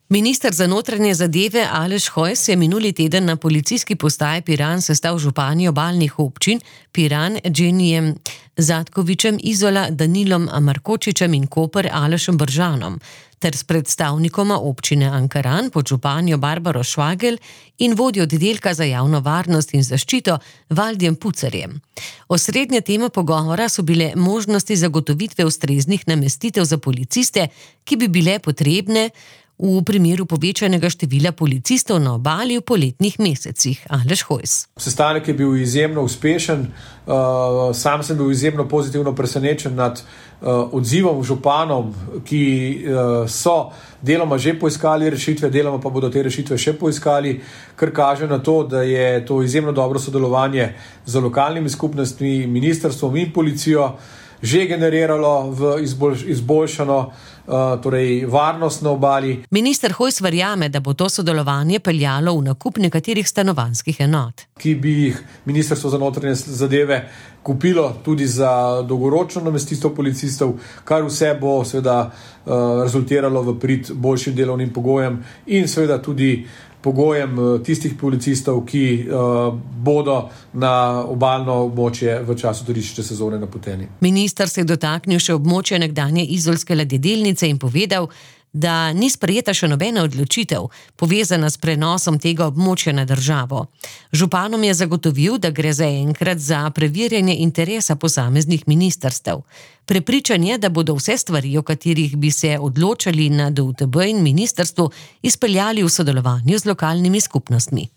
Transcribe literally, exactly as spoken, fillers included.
Minister za notranje zadeve Aleš Hojs je minuli teden na policijski postaji Piran sestal župani obalnih občin Piran, Dženijem Zatkovičem, Izola, Danilom Markočičem in Koper Alešem Bržanom, ter s predstavnikoma občine Ankaran, podžupanjo Barbaro Švagel in vodjo oddelka za javno varnost in zaščito Valdjem Pucerjem. Osrednja tema pogovora so bile možnosti zagotovitve ustreznih namestitev za policiste, ki bi bile potrebne v primeru povečanega števila policistov na obali v poletnih mesecih. Aleš Hojs. Sestanek je bil izjemno uspešen, uh, sam sem bil izjemno pozitivno presenečen nad uh, odzivom županom, ki uh, so deloma že poiskali rešitve, deloma pa bodo te rešitve še poiskali, kar kaže na to, da je to izjemno dobro sodelovanje z lokalnimi skupnostmi, ministrstvom in policijo že generiralo v izboljš, izboljšano uh, torej varnost na obali. Minister Hojs verjame, da bo to sodelovanje peljalo v nakup nekaterih stanovanjskih enot, ki bi jih Ministrstvo za notranje zadeve kupilo tudi za dolgoročno namestitev policistov, kar vse bo seveda uh, rezultiralo v prid boljšim delovnim pogojem in seveda tudi pogojem tistih policistov, ki uh, bodo na obalno območje v času turistične sezone napoteni. Minister se je dotaknil še območja nekdanje izolske ladjedelnice in povedal, da ni sprejeta še nobena odločitev, povezana s prenosom tega območja na državo. Županom je zagotovil, da gre zaenkrat za preverjanje interesa posameznih ministrstev. Prepričan je, da bodo vse stvari, o katerih bi se odločali na D U T B in ministrstvu, izpeljali v sodelovanju z lokalnimi skupnostmi.